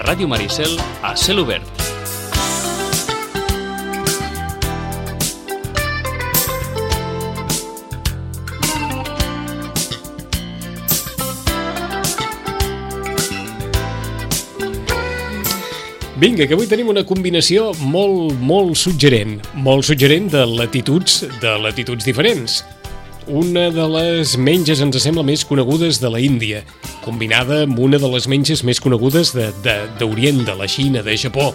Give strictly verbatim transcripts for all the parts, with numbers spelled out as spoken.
Ràdio Maricel, a cel obert. Vinga, que avui tenim una combinació molt, molt suggerent, molt suggerent de latituds, de latituds diferents. Una de les menges ens sembla més conegudes de la Índia, combinada amb una de les menges més conegudes de, de, d'Orient, de la Xina, de Japó,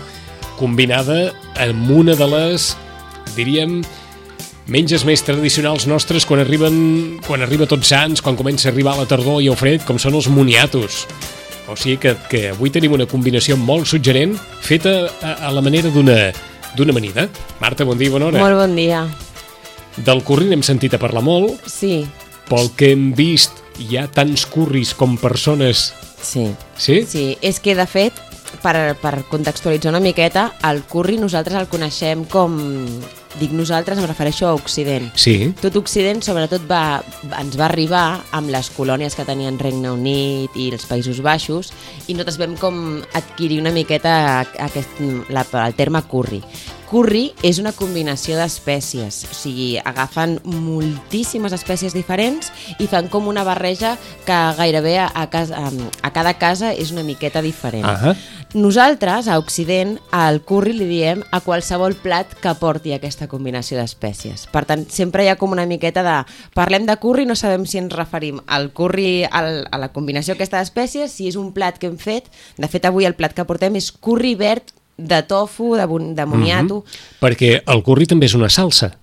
combinada amb una de les, diríem, menges més tradicionals nostres quan arriben, quan arriba Tots Sants, quan comença a arribar la tardor i el fred, com són els moniatos. O sigui que, que avui tenim una combinació molt suggerent, feta a, a la manera d'una, d'una amanida. Marta, bon dia i bona hora. Molt bon dia. Del curri n'hem sentit a parlar molt. Sí. Pel que hem vist, hi ha tants curris com persones. Sí. Sí? Sí, és que de fet, per, per contextualitzar una miqueta, el curri nosaltres el coneixem com... Dic nosaltres, em refereixo a Occident. Sí. Tot Occident, sobretot, va, ens va arribar amb les colònies que tenien Regne Unit i els Països Baixos, i nosaltres vam com adquirir una miqueta aquest, la, el terme curri. Curri és una combinació d'espècies, o sigui, agafen moltíssimes espècies diferents i fan com una barreja que gairebé a, a, casa, a cada casa és una miqueta diferent. Uh-huh. Nosaltres, a Occident, al curri li diem a qualsevol plat que porti aquesta combinació d'espècies. Per tant, sempre hi ha com una miqueta de... Parlem de curri, no sabem si ens referim al curri, al, a la combinació aquesta d'espècies, si és un plat que hem fet. De fet, avui el plat que portem és curri verd de tofu, de, de moniato... Mm-hmm. Perquè el curri també és una salsa.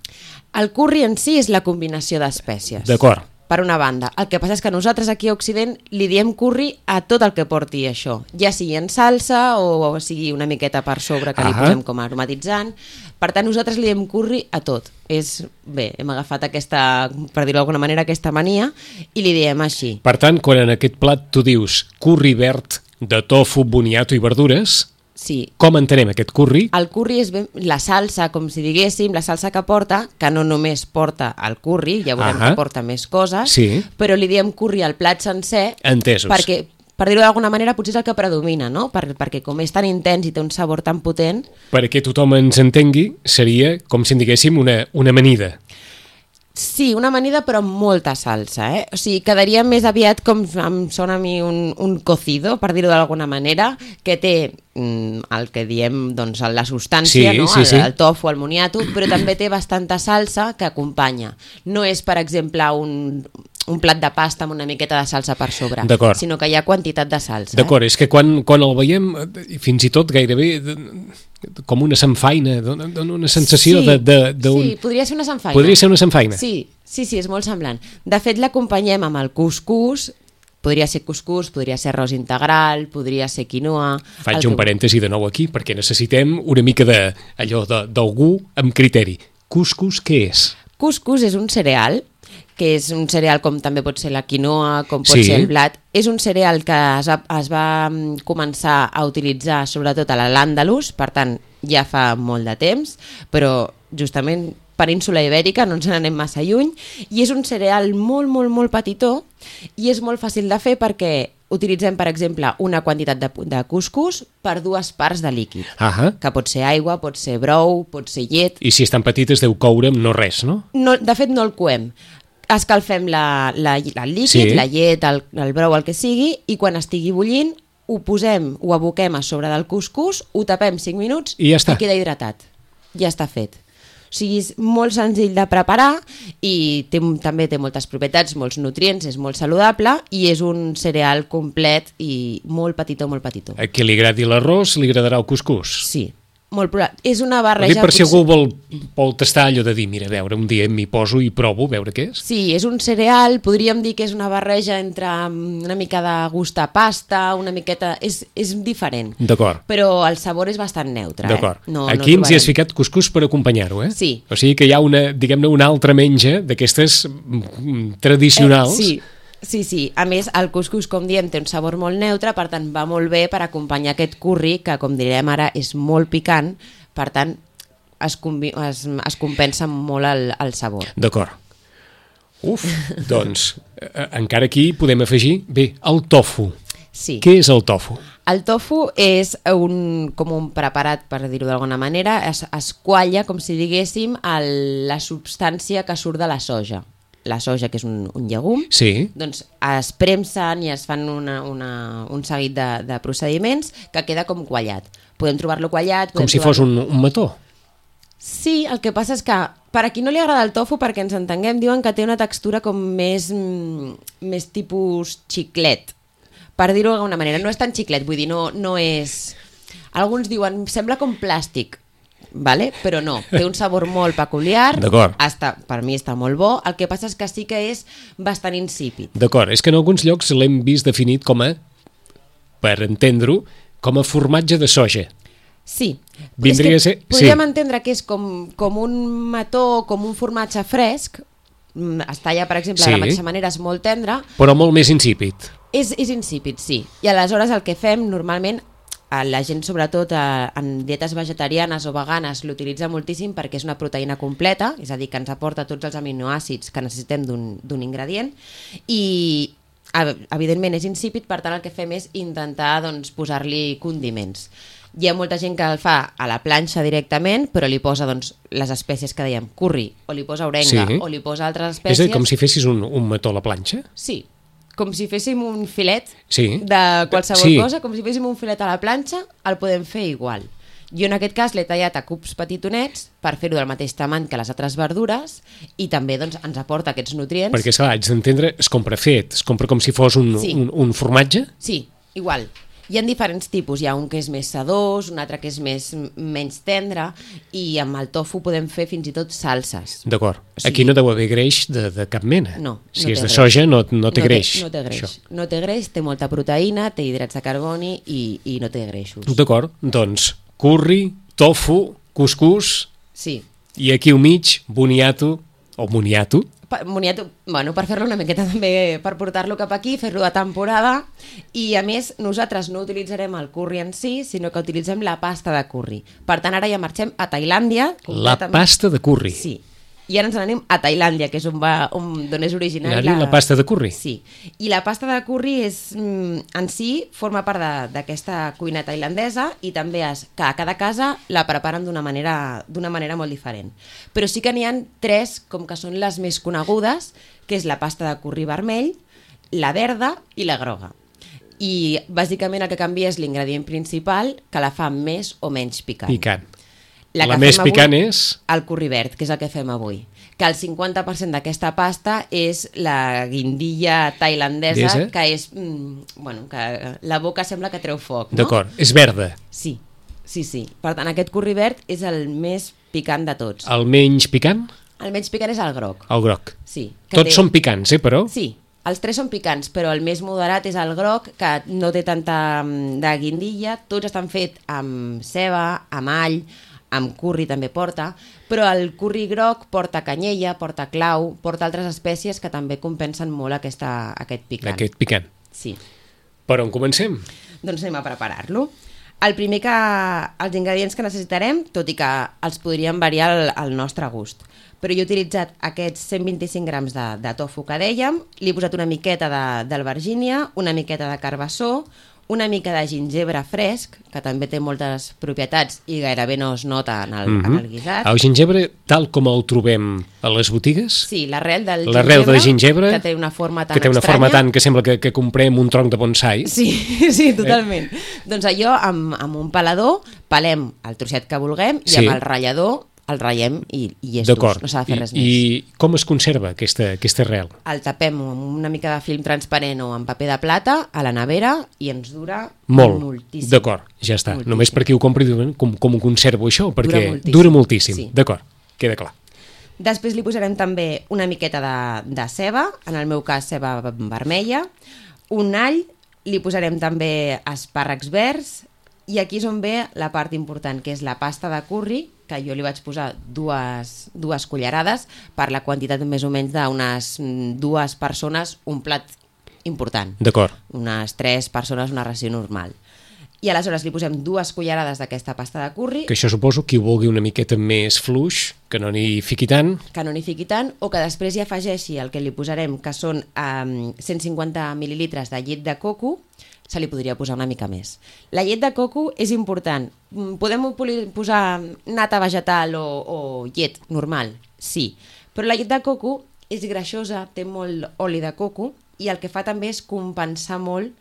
El curri en si és la combinació d'espècies. D'acord. Per una banda. El que passa és que nosaltres aquí a Occident li diem curri a tot el que porti això. Ja sigui en salsa o, o sigui una miqueta per sobre que ah. li posem com aromatitzant. Per tant, nosaltres li diem curri a tot. És, bé, hem agafat aquesta, per dir-ho d'alguna manera, aquesta mania i li diem així. Per tant, quan en aquest plat tu dius curri verd de tofu, boniato i verdures... Sí. Com entenem aquest curri? El curri és ben, la salsa, com si diguéssim, la salsa que porta, que no només porta el curri, ja veurem uh-huh. que porta més coses, sí. però li diem curri al plat sencer. Entesos. Perquè, per dir-ho d'alguna manera, potser és el que predomina, no? Per, perquè com és tan intens i té un sabor tan potent... Perquè tothom ens entengui, seria, com si en diguéssim, una, una amanida. Sí, una amanida però amb molta salsa, eh? O sigui, quedaria més aviat com em sona a mi un, un cocido, per dir-ho d'alguna manera, que té mm, el que diem, doncs, la substància, sí, no? sí, el, sí. el tofu, el moniato, però també té bastanta salsa que acompanya. No és, per exemple, un, un plat de pasta amb una miqueta de salsa per sobre, sinó que hi ha quantitat de salsa. D'acord, eh? És que quan, quan el veiem, fins i tot gairebé... com una samfaina, dona una sensació sí, de, de, de un... Sí, podria ser una samfaina. Podria ser una samfaina. Sí, sí, sí, és molt semblant. De fet, l'acompanyem amb el cuscús, podria ser cuscús, podria ser arròs integral, podria ser quinoa... Faig un que... parèntesi de nou aquí, perquè necessitem una mica de, allò de, d'algú amb criteri. Cuscús, què és? Cuscús és un cereal, que és un cereal com també pot ser la quinoa, com pot sí. ser el blat. És un cereal que es va, es va començar a utilitzar sobretot a l'Àndalus, per tant ja fa molt de temps, però justament península Ibèrica, no ens n'anem massa lluny, i és un cereal molt, molt, molt petitó i és molt fàcil de fer perquè utilitzem, per exemple, una quantitat de, de cuscús per dues parts de líquid, uh-huh. que pot ser aigua, pot ser brou, pot ser llet... I si és tan petit es deu coure amb no res, no? no de fet, no el coem. Escalfem la, la, el líquid, sí. la llet, el, el brou, el que sigui, i quan estigui bullint ho posem, ho aboquem a sobre del cuscús, ho tapem cinc minuts i ja està. I queda hidratat. Ja està fet. O sigui, és molt senzill de preparar i té, també té moltes propietats, molts nutrients, és molt saludable i és un cereal complet i molt petitó, molt petitó. A qui li agradi l'arròs, li agradarà el cuscús. Sí. Molt probable. És una barreja... Ho dic per si algú vol, vol tastar allò de dir, mira, a veure, un dia m'hi poso i provo, a veure què és. Sí, és un cereal, podríem dir que és una barreja entre una mica de gust a pasta, una miqueta... És, és diferent. D'acord. Però el sabor és bastant neutre. D'acord. Eh? No, Aquí no ens hi has ficat cuscús per acompanyar-ho, eh? Sí. O sigui que hi ha una, diguem-ne, una altra menja d'aquestes tradicionals... Eh, sí. Sí, sí. A més, el cuscús, com diem, té un sabor molt neutre, per tant, va molt bé per acompanyar aquest curri, que, com direm ara, és molt picant, per tant, es, combi- es, es compensa molt el, el sabor. D'acord. Uf, doncs, eh, encara aquí podem afegir... Bé, el tofu. Sí. Què és el tofu? El tofu és un, com un preparat, per dir-ho d'alguna manera, es, es qualla, com si diguéssim, el, la substància que surt de la soja. La soja, que és un, un llegum, Sí. doncs es premsen i es fan una, una, un seguit de, de procediments que queda com quallat. Podem trobar-lo quallat... Com si fos un, un mató. Sí, el que passa és que per a qui no li agrada el tofu, perquè ens entenguem, diuen que té una textura com més, més tipus xiclet. Per dir-ho d'alguna manera, no és tan xiclet, vull dir, no, no és... Alguns diuen, sembla com plàstic, vale? Però no, té un sabor molt peculiar, està, per mi està molt bo, el que passa és que sí que és bastant insípid. D'acord, és que en alguns llocs l'hem vist definit com a, per entendre-ho, com a formatge de soja. Sí, Vindria és que a ser... podríem sí. entendre que és com, com un mató, com un formatge fresc, es talla, per exemple, Sí. de la mateixa manera, és molt tendre, Però molt més insípid. És, és insípid, sí. I aleshores el que fem normalment, la gent sobretot en dietes vegetarianes o veganes l'utilitza moltíssim perquè és una proteïna completa, és a dir, que ens aporta tots els aminoàcids que necessitem d'un ingredient i evidentment és insípid, per tant el que fem és intentar doncs, posar-li condiments. Hi ha molta gent que el fa a la planxa directament, però li posa doncs, les espècies que dèiem, curri, o li posa orenga, Sí. o li posa altres És espècies. a dir, com si fessis un, un mató a la planxa? Sí, com si féssim un filet Sí. de qualsevol Sí. cosa, com si féssim un filet a la planxa, el podem fer igual. Jo en aquest cas l'he tallat a cubs petitonets per fer-ho del mateix tamany que les altres verdures i també doncs, ens aporta aquests nutrients. Perquè, esclar, haig d'entendre, es compra fet, es compra com si fos un, Sí. un, un formatge? Sí, igual. Hi ha diferents tipus, hi ha un que és més sedós, un altre que és més, menys tendre i amb el tofu podem fer fins i tot salses. D'acord. O sigui- Aquí no deu haver greix de, de cap mena. No, Si no és té de greix. soja no, no té greix. No té greix, Això. no té greix, té molta proteïna, té hidrats de carboni i, i no té greixos. D'acord, doncs curri, tofu, cuscús Sí. i aquí al mig boniato o moniato. Pa- Moniato, bueno, per fer-lo una miqueta també, per portar-lo cap aquí, fer-lo de temporada i a més nosaltres no utilitzarem el curri en si, sinó que utilitzem la pasta de curri. Per tant ara ja marxem a Tailàndia. La completament- pasta de curri. Sí, i ara ens n'anem a Tailàndia, que és on, va, on, on és originari Anar-hi la pasta de curri. Sí, i la pasta de curri és, mm, en si forma part de- d'aquesta cuina tailandesa i també és que a cada casa la preparen d'una manera, d'una manera molt diferent. Però sí que n'hi ha tres, com que són les més conegudes, que és la pasta de curri vermell, la verda i la groga. I bàsicament el que canvia és l'ingredient principal, que la fa més o menys picant. Picant. La, La que més fem avui, picant és... el curri verd, que és el que fem avui. Que el cinquanta per cent d'aquesta pasta és la guindilla tailandesa, Desa? que és... Mm, bueno, que la boca sembla que treu foc, no? D'acord, és verda. Sí, sí, sí. Per tant, aquest curri verd és el més picant de tots. El menys picant, El menys picant és el groc. el groc. Sí. que Tots té- són picants, eh, però? Sí, els tres són picants, però el més moderat és el groc, que no té tanta mm, de guindilla. Tots estan fets amb ceba, amb all, amb curri també porta, però el curri groc porta canyella, porta clau, porta altres espècies que també compensen molt aquesta, aquest picant. Aquest picant. Sí. Per on comencem? Doncs anem a preparar-lo. El primer que... Els ingredients que necessitarem, tot i que els podríem variar al, al nostre gust, però jo he utilitzat aquests cent vint-i-cinc grams de, de tofu que dèiem, li he posat una miqueta de- d'albergínia, una miqueta de carbassó, una mica de gingebre fresc, que també té moltes propietats i gairebé no es nota en el, Mhm. en el guisat. El gingebre, tal com el trobem a les botigues, Sí, l'arrel del l'arrel gingebre, del gingebre, que té una forma tan que té una estranya. forma tant que sembla que, que comprem un tronc de bonsai. Sí, sí, totalment. Eh? Doncs allò, amb, amb un pelador, pelem el trosset que vulguem i Sí. amb el ratllador el ratllem i, i és D'acord. dur, no s'ha de fer I, res més. I com es conserva aquesta, aquesta arrel? El tapem amb una mica de film transparent o amb paper de plata a la nevera i ens dura Molt. moltíssim. D'acord, ja està. Moltíssim. Només per qui ho compri diuen com, com ho conservo això, perquè moltíssim. dura moltíssim. Sí. D'acord, queda clar. Després li posarem també una miqueta de, de ceba, en el meu cas ceba vermella, un all, li posarem també espàrrecs verds i aquí és on ve la part important, que és la pasta de curri, que jo li vaig posar dues, dues cullerades per la quantitat més o menys d'unes mm, dues persones, un plat important. D'acord. Unes tres persones, una ració normal. I aleshores li posem dues cullerades d'aquesta pasta de curri, Que això suposo qui ho vulgui una miqueta més fluix, que no n'hi fiqui tant. que no n'hi fiqui tant, o que després hi afegeixi el que li posarem, que són um, cent cinquanta mil·lilitres de llet de coco, se li podria posar una mica més. La llet de coco és important. Podem posar nata vegetal o, o llet normal? Sí. Però la llet de coco és greixosa, té molt oli de coco i el que fa també és compensar molt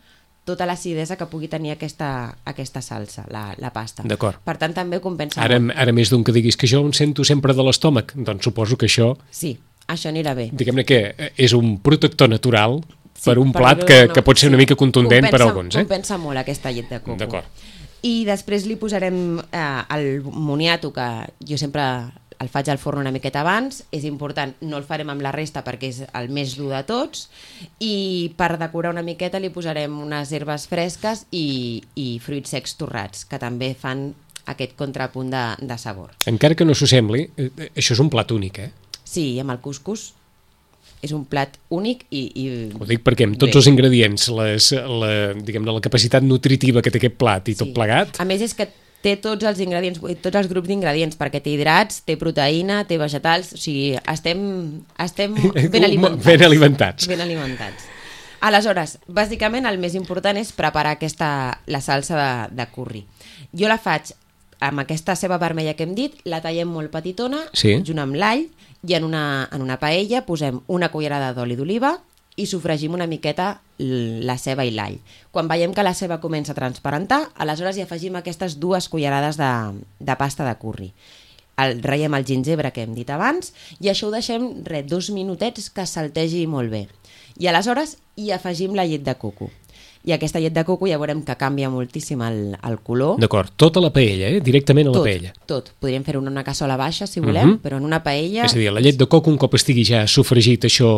tota l'acidesa que pugui tenir aquesta, aquesta salsa, la, la pasta. D'acord. Per tant, també compensa ara, molt. Ara més d'un que diguis que jo em sento sempre de l'estómac, doncs suposo que això... Sí, això anirà bé. Diguem-ne que és un protector natural sí, per un per plat no, que, no, que pot ser una sí. mica contundent compensa, per alguns. Eh? Compensa molt aquesta llet de coco. D'acord. I després li posarem eh, el moniato, que jo sempre el faig al forn una miqueta abans. És important, no el farem amb la resta perquè és el més dur de tots, i per decorar una miqueta li posarem unes herbes fresques i, i fruits secs torrats, que també fan aquest contrapunt de, de sabor. Encara que no s'ho sembli, eh, això és un plat únic, eh? Sí, amb el cuscús és un plat únic i... i ho dic perquè amb tots bé. els ingredients, les, la, diguem-ne, la capacitat nutritiva que té aquest plat i tot Sí. plegat... A més és que té tots els ingredients, tots els grups d'ingredients, perquè té hidrats, té proteïna, té vegetals, o sigui, estem, estem ben alimentats. Ben alimentats. Ben alimentats. Aleshores, bàsicament el més important és preparar aquesta, la salsa de, de curri. Jo la faig amb aquesta ceba vermella que hem dit, la tallem molt petitona, Sí. junt amb l'all, i en una, en una paella posem una cullerada d'oli d'oliva i sofregim una miqueta la ceba i l'all. Quan veiem que la ceba comença a transparentar, aleshores hi afegim aquestes dues cullerades de, de pasta de curri. El, raiem el gingebre que hem dit abans i això ho deixem res, dos minutets que saltegi molt bé. I aleshores hi afegim la llet de coco. I aquesta llet de coco ja veurem que canvia moltíssim el, el color. D'acord, tota la paella, eh? Directament a la tot, paella. Tot. Podríem fer-ho en una cassola baixa, si volem, Uh-huh. però en una paella... És a dir, la llet de coco, un cop estigui ja sofregit això...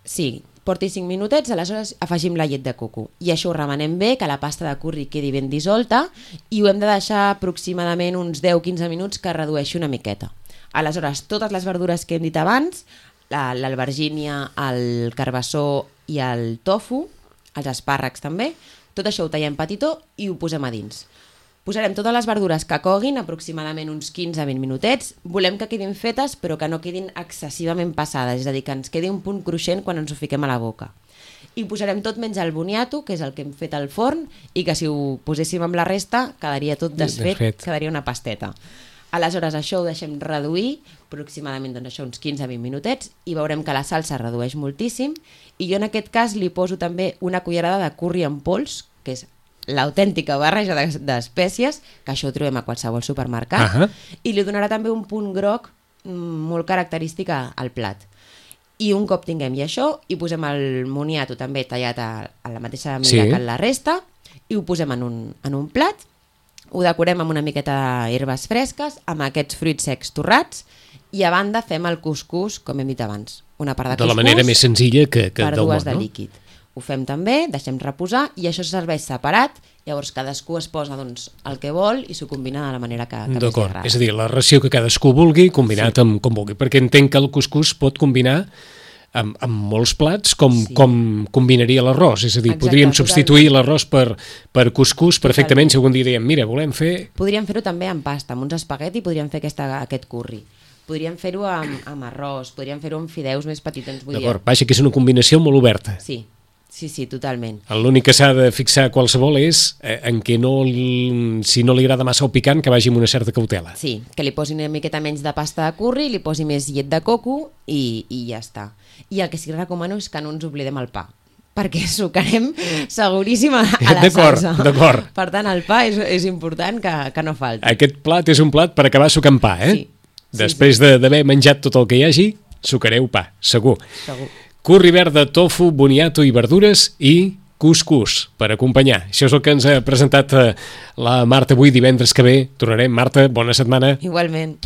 Sí, porti cinc minutets, aleshores afegim la llet de coco. I això ho remenem bé, que la pasta de curri quedi ben dissolta, i ho hem de deixar aproximadament uns deu a quinze minuts que redueixi una miqueta. Aleshores, totes les verdures que hem dit abans, l'albergínia, el carbassó i el tofu, els espàrrecs també, tot això ho tallem petitó i ho posem a dins. Posarem totes les verdures que coguin, aproximadament uns quinze a vint minutets. Volem que quedin fetes, però que no quedin excessivament passades, és a dir, que ens quedi un punt cruixent quan ens ho fiquem a la boca. I posarem tot menys el boniato, que és el que hem fet al forn, i que si ho poséssim amb la resta quedaria tot desfet, Desfet. quedaria una pasteta. Aleshores això ho deixem reduir, aproximadament doncs, això, uns quinze a vint minutets, i veurem que la salsa redueix moltíssim, i jo en aquest cas li poso també una cullerada de curri en pols, que és l'autèntica barreja d'espècies, que això ho trobem a qualsevol supermercat, Ahà. i li donarà també un punt groc mm, molt característic a- al plat. I un cop tinguem ja això, hi posem el moniato també tallat a, a la mateixa mida Sí. que en la resta, i ho posem en un, en un plat, ho decorem amb una miqueta d'herbes fresques, amb aquests fruits secs torrats, i a banda fem el cuscús, com hem dit abans. Una part de, De la cuscús manera més senzilla que, que per del dues món, de no? líquid. Ho fem també, deixem reposar, i això se serveix separat, llavors cadascú es posa doncs, el que vol i s'ho combina de la manera que, que més li D'acord, agrada. és a dir, la ració que cadascú vulgui, combinat sí. amb com vulgui, perquè entenc que el cuscús pot combinar amb, amb molts plats com, Sí. com combinaria l'arròs, és a dir, Exacte, podríem substituir totalment. l'arròs per, per cuscús perfectament, Totalment. si algun dia diem, mira, volem fer... Podríem fer-ho també amb pasta, amb uns espagueti podríem fer aquesta, aquest curri. Podríem fer-ho amb, amb arròs, podríem fer-ho amb fideus més petitons. Vull dir, D'acord, vaja, que és una combinació molt oberta. sí, sí, sí, totalment. L'únic que s'ha de fixar qualsevol és eh, en què no, li- si no li agrada massa el picant, que vagi amb una certa cautela. Sí, que li posi una miqueta menys de pasta de curri, li posi més llet de coco i, i ja està. I el que sí que recomano és que no ens oblidem el pa, perquè sucarem seguríssim a, a la D'acord, salsa. d'acord. Per tant, el pa és, és important que, que no falti. Aquest plat és un plat per acabar sucant pa, eh? Sí. Sí, Després de- d'haver menjat tot el que hi hagi, sucareu pa, segur. Segur. Curri verd de tofu, boniato i verdures i cuscús per acompanyar. Això és el que ens ha presentat eh, la Marta avui divendres que ve. Tornarem. Marta, bona setmana. Igualment.